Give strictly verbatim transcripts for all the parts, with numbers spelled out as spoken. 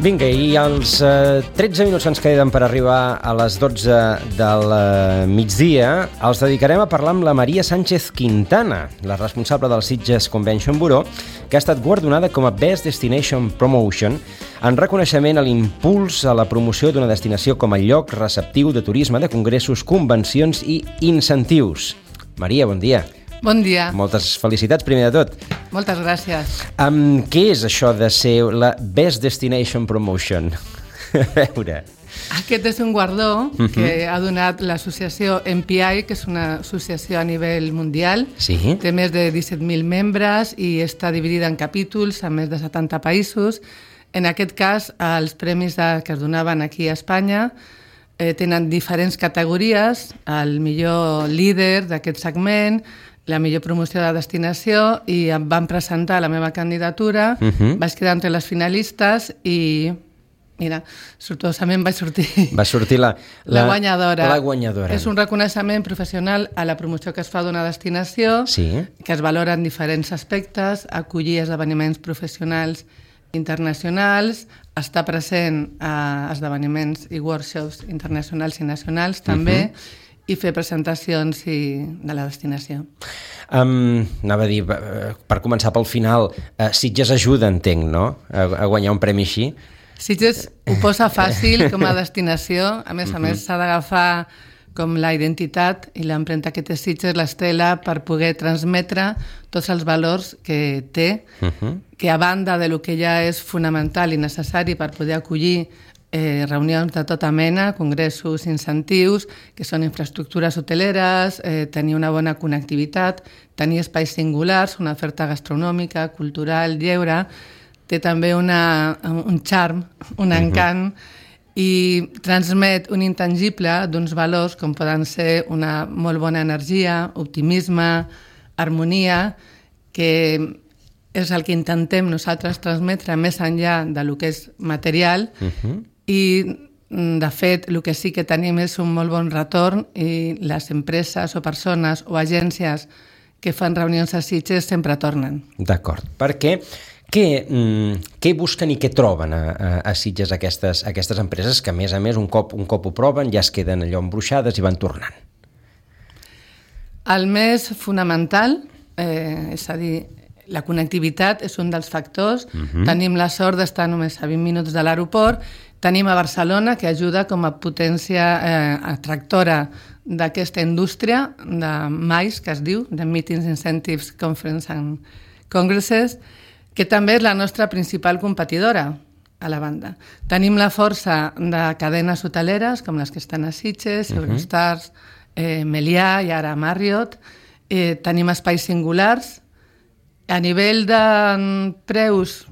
Vinga, i els eh, tretze minuts que ens queden per arribar a les dotze del eh, migdia els dedicarem a parlar amb la Maria Sánchez Quintana, la responsable del Sitges Convention Bureau, que ha estat guardonada com a Best Destination Promotion en reconeixement a l'impuls a la promoció d'una destinació com a lloc receptiu de turisme, de congressos, convencions i incentius. Maria, bon dia. Bon dia. Moltes felicitats, primer de tot. Moltes gràcies. Um, què és això de ser la Best Destination Promotion? A veure... Aquest és un guardó uh-huh. que ha donat l'associació M P I, que és una associació a nivell mundial. Sí. Té més de disset mil membres i està dividida en capítols a més de setanta països. En aquest cas, els premis de, que es donaven aquí a Espanya eh, tenen diferents categories, el millor líder d'aquest segment, la millor promoció de destinació, i em van presentar la meva candidatura, uh-huh. vaig quedar entre les finalistes i, mira, sortosament vaig sortir... Va sortir la, la, la guanyadora. La guanyadora. És un reconeixement professional a la promoció que es fa d'una destinació, sí. que es valora en diferents aspectes, acollir esdeveniments professionals internacionals, estar present a esdeveniments i workshops internacionals i nacionals també, uh-huh. i fer presentacions i, de la destinació. Um, anava a dir, per començar pel final, uh, Sitges ajuda, entenc, no?, a, a guanyar un premi així. Sitges ho posa fàcil com a destinació, a més a uh-huh. més s'ha d'agafar com la identitat i l'empremta que té Sitges, l'estela, per poder transmetre tots els valors que té, uh-huh. que a banda de lo que ja és fonamental i necessari per poder acollir Eh, reunions de tota mena, congressos, incentius, que són infraestructures hoteleres, eh, tenir una bona connectivitat, tenir espais singulars, una oferta gastronòmica, cultural, lleure, té també una, un charm, un encant, uh-huh. i transmet un intangible d'uns valors com poden ser una molt bona energia, optimisme, harmonia, que és el que intentem nosaltres transmetre més enllà de lo que és material, uh-huh. i, de fet, el que sí que tenim és un molt bon retorn i les empreses o persones o agències que fan reunions a Sitges sempre tornen. D'acord. Per què? Què, mm, què busquen i què troben a, a, a Sitges aquestes, aquestes empreses que, a més a més, un cop, un cop ho proven ja es queden allò embruixades i van tornant? El més fonamental, eh, és a dir, la connectivitat és un dels factors. Uh-huh. Tenim la sort d'estar només a vint minuts de l'aeroport. Tenim a Barcelona, que ajuda com a potència eh, atractora d'aquesta indústria de M I C E, que es diu, de Meetings, Incentives, Conference and Congresses, que també és la nostra principal competidora a la banda. Tenim la força de cadenes hoteleres, com les que estan a Sitges, uh-huh. Eurostars, eh, Melià i ara Marriott. Eh, tenim espais singulars. A nivell de preus,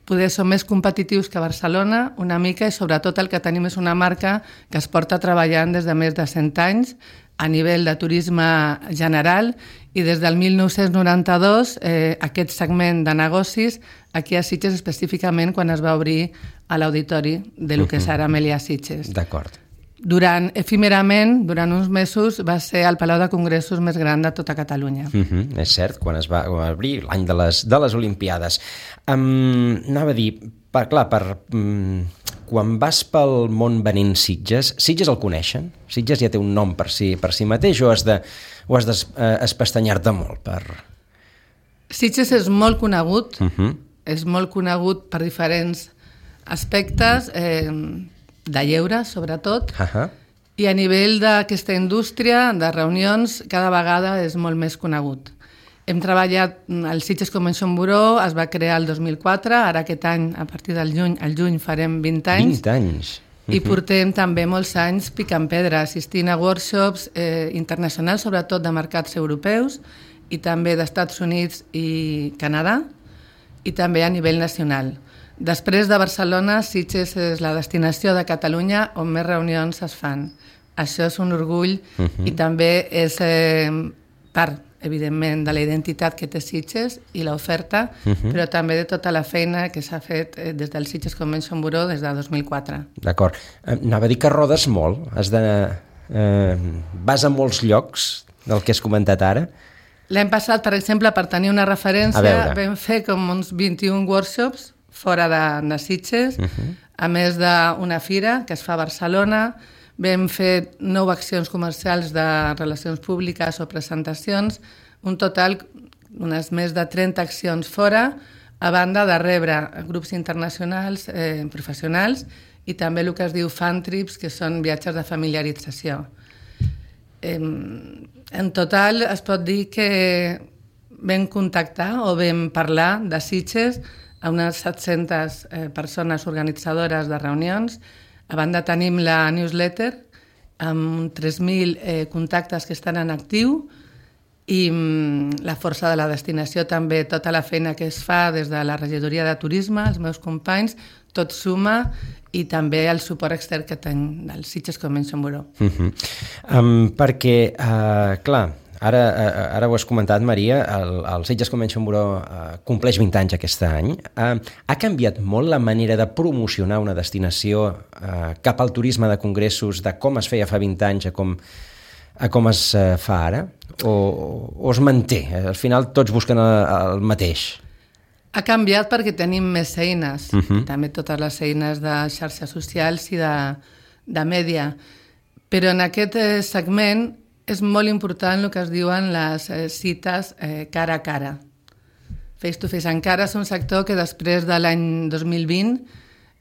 poder som més competitius que Barcelona, una mica, i sobretot el que tenim és una marca que es porta treballant des de més de cent anys a nivell de turisme general, i des del mil nou-cents noranta-dos eh, aquest segment de negocis aquí a Sitges, específicament quan es va obrir a l'auditori de lo que és ara Melià Sitges. D'acord. Durant, efímerament, durant uns mesos, va ser el Palau de Congressos més gran de tota Catalunya. Uh-huh, és cert, quan es va obrir l'any de les, de les Olimpiades. Um, anava a dir, per, clar, per, um, quan vas pel món venint Sitges, Sitges el coneixen? Sitges ja té un nom per si, per si mateix o has de, o has d'espestanyar-te molt? Per... Sitges és molt conegut, uh-huh. és molt conegut per diferents aspectes, eh, de lleure, sobretot, uh-huh. i a nivell d'aquesta indústria de reunions cada vegada és molt més conegut. Hem treballat, el Sitges Convention Bureau es va crear el dos mil quatre, ara aquest any, a partir del juny, al juny farem vint anys. vint anys. Uh-huh. I portem també molts anys picant pedra, assistint a workshops eh, internacionals, sobretot de mercats europeus, i també d'Estats Units i Canadà, i també a nivell nacional. Després de Barcelona, Sitges és la destinació de Catalunya on més reunions es fan. Això és un orgull uh-huh. i també és eh, part, evidentment, de la identitat que té Sitges i l'oferta, uh-huh. però també de tota la feina que s'ha fet eh, des del Sitges Convention Bureau des de dos mil quatre. D'acord. Eh, anava a dir que rodes molt. Has de, eh, vas a molts llocs del que has comentat ara. L'any passat, per exemple, per tenir una referència, vam fer com uns vint-i-un workshops fora de, de Sitges, uh-huh. a més d'una fira que es fa a Barcelona. Vam fer nou accions comercials de relacions públiques o presentacions, un total, unes més de trenta accions fora, a banda de rebre grups internacionals, eh, professionals, i també el que es diu fan trips, que són viatges de familiarització. Eh, en total es pot dir que vam contactar o vam parlar de Sitges a unes set-centes eh, persones organitzadores de reunions. A banda tenim la newsletter amb tres mil eh, contactes que estan en actiu, i mm, la força de la destinació també, tota la feina que es fa des de la regidoria de turisme, els meus companys, tot suma, i també el suport extern que tenc del Sitges Convention Bureau. Uh-huh. Um, perquè, uh, clar, ara, uh, ara ho has comentat, Maria, el, el Sitges Convention Bureau uh, compleix vint anys aquest any. Uh, ha canviat molt la manera de promocionar una destinació uh, cap al turisme de congressos, de com es feia fa vint anys a com, a com es uh, fa ara? O, o es manté? Al final tots busquen el, el mateix. Ha canviat perquè tenim més eines, uh-huh. també totes les eines de xarxes socials i de, de mèdia. Però en aquest eh, segment és molt important el que es diuen les eh, cites eh, cara a cara. Face to face. Encara és un sector que després de l'any dos mil vint,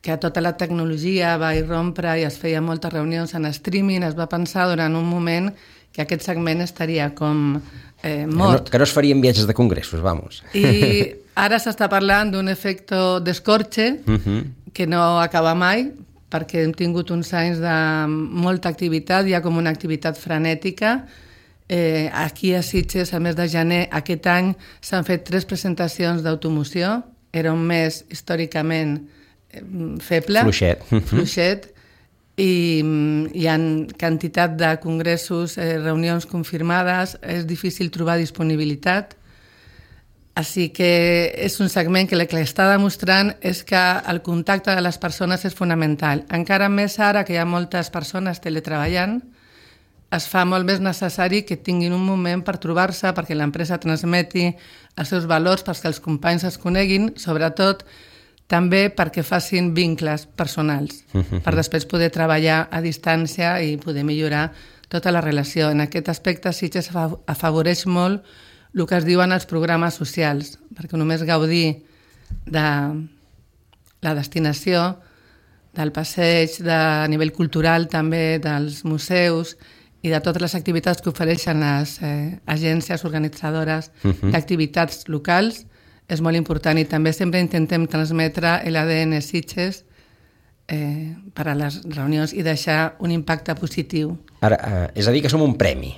que tota la tecnologia va irrompre i es feia moltes reunions en streaming, es va pensar durant un moment que aquest segment estaria com eh, mort. Que no, que no es farien viatges de congressos, vamos. I ara s'està parlant d'un efecte d'escorxe uh-huh. que no acaba mai, perquè hem tingut uns anys de molta activitat, hi ha com una activitat frenètica. Eh, aquí a Sitges, a mes de gener, aquest any s'han fet tres presentacions d'automoció, era un mes històricament eh, feble, fluixet, fluixet, i hi ha quantitat de congressos, eh, reunions confirmades, és difícil trobar disponibilitat. Així que és un segment que el que està demostrant és que el contacte de les persones és fonamental. Encara més ara que hi ha moltes persones teletreballant, es fa molt més necessari que tinguin un moment per trobar-se, perquè l'empresa transmeti els seus valors, perquè els companys es coneguin, sobretot també perquè facin vincles personals, uh-huh. per després poder treballar a distància i poder millorar tota la relació. En aquest aspecte Sitges afavoreix molt el que es diuen els programes socials, perquè només gaudir de la destinació, del passeig, de a nivell cultural també, dels museus i de totes les activitats que ofereixen les eh, agències organitzadores uh-huh. d'activitats locals, és molt important, i també sempre intentem transmetre l'A D N Sitges eh, per a les reunions i deixar un impacte positiu. Ara, eh, és a dir, que som un premi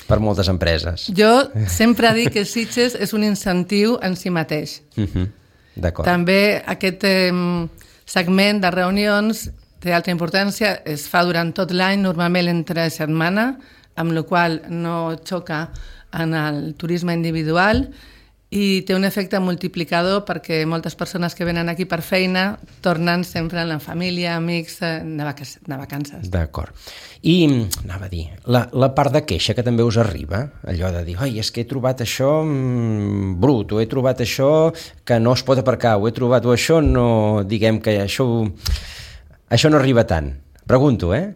per moltes empreses. Jo sempre dic que Sitges és un incentiu en si mateix. Uh-huh. D'acord. També aquest eh, segment de reunions té altra importància, es fa durant tot l'any, normalment entre setmana, amb la qual no xoca en el turisme individual, i té un efecte multiplicador perquè moltes persones que venen aquí per feina tornen sempre amb la família, amics, de, vac de vacances. D'acord. I, anava a dir, la, la part de queixa que també us arriba, allò de dir, oi, és que he trobat això mm, brut, o he trobat això que no es pot aparcar, o he trobat, o això no, diguem que això, això no arriba tant. Pregunto, eh?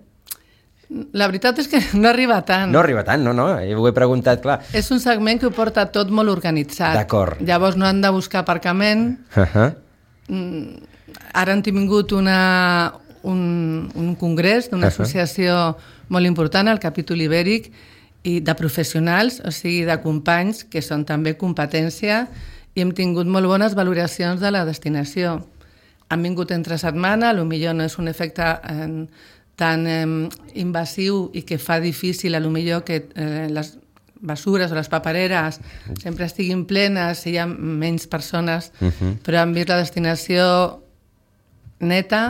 La veritat és que no arriba tant. No arriba tant, no, no, ho he preguntat, clar. És un segment que ho porta tot molt organitzat. D'acord. Llavors no han de buscar aparcament. Uh-huh. Ara han tingut una, un, un congrés d'una uh-huh. associació molt important, el capítol ibèric, i de professionals, o sigui, de companys, que són també competència, i hem tingut molt bones valoracions de la destinació. Han vingut entre setmana, potser no és un efecte en, tan eh, invasiu i que fa difícil, a lo millor, que eh, les basures o les papereres sempre estiguin plenes i hi ha menys persones, uh-huh. però han vist la destinació neta,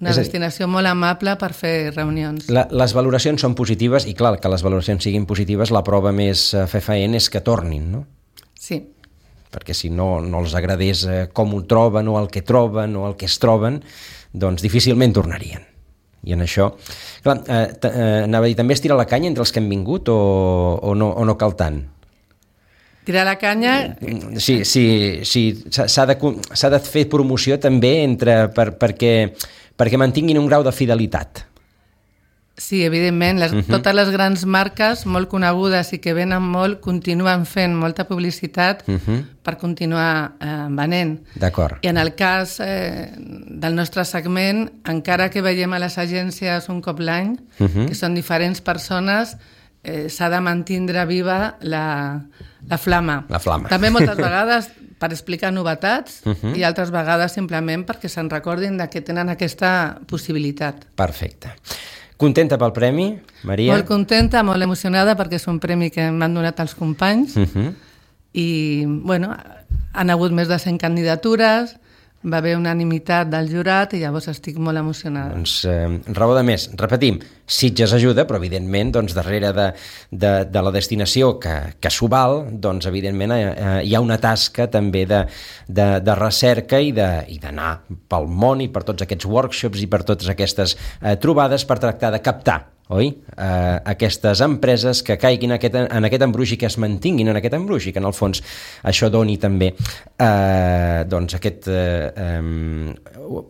una destinació molt amable per fer reunions. La, les valoracions són positives i, clar, que les valoracions siguin positives, la prova més fefaent és que tornin, no? Sí. Perquè si no, no els agradés com ho troben o el que troben o el que es troben, doncs difícilment tornarien. I en això, clar, eh, eh, anava a dir, també es tira la canya entre els que han vingut o, o, no, o no cal tant? tirar la canya... Sí, sí, sí, s'ha de, s'ha de fer promoció també entre, per, perquè, perquè mantinguin un grau de fidelitat. Sí, evidentment, les, uh-huh. totes les grans marques molt conegudes i que venen molt continuen fent molta publicitat uh-huh. per continuar eh, venent. D'acord. I en el cas eh, del nostre segment, encara que veiem a les agències un cop l'any, uh-huh. que són diferents persones, eh, s'ha de mantindre viva la, la flama. La flama. També moltes vegades per explicar novetats uh-huh. i altres vegades simplement perquè se'n recordin de que tenen aquesta possibilitat. Perfecte. Contenta pel premi, Maria? Molt contenta, molt emocionada, perquè és un premi que m'han donat els companys. Uh-huh. I, bueno, han hagut més de cent candidatures, va haver unanimitat del jurat i llavors estic molt emocionada. Doncs eh, raó de més. Repetim, Sitges ajuda, però evidentment doncs, darrere de, de, de la destinació que, que s'ho val, doncs evidentment eh, hi ha una tasca també de, de, de recerca i d'anar pel món i per tots aquests workshops i per totes aquestes eh, trobades per tractar de captar, oi? Eh, aquestes empreses que caiguin aquest, en aquest embruix i que es mantinguin en aquest embruix i que en el fons això doni també eh, doncs aquest eh, eh,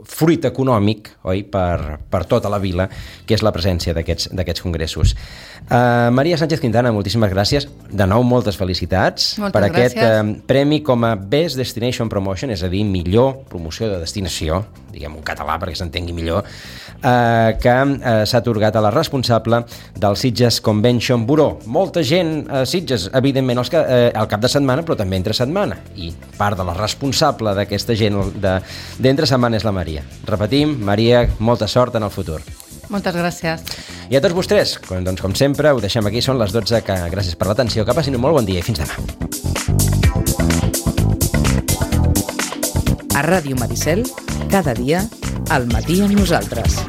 fruit econòmic, oi? Per, per tota la vila, que és la presència d'aquests d'aquests congressos. Eh, Maria Sánchez Quintana, moltíssimes gràcies. De nou, moltes felicitats moltes per gràcies. aquest eh, premi com a Best Destination Promotion, és a dir, millor promoció de destinació, diguem un català perquè s'entengui millor, eh, que eh, s'ha atorgat a la responsable del Sitges Convention Bureau. Molta gent a Sitges, evidentment, els que, eh, al cap de setmana, però també entre setmana. I part de la responsable d'aquesta gent d'entre setmana és la Maria. Repetim, Maria, molta sort en el futur. Moltes gràcies. I a tots vostès, com, doncs, com sempre, ho deixem aquí, són les dotze, que gràcies per l'atenció, que passin un molt bon dia i fins demà. A Ràdio Maricel, cada dia, al matí amb nosaltres.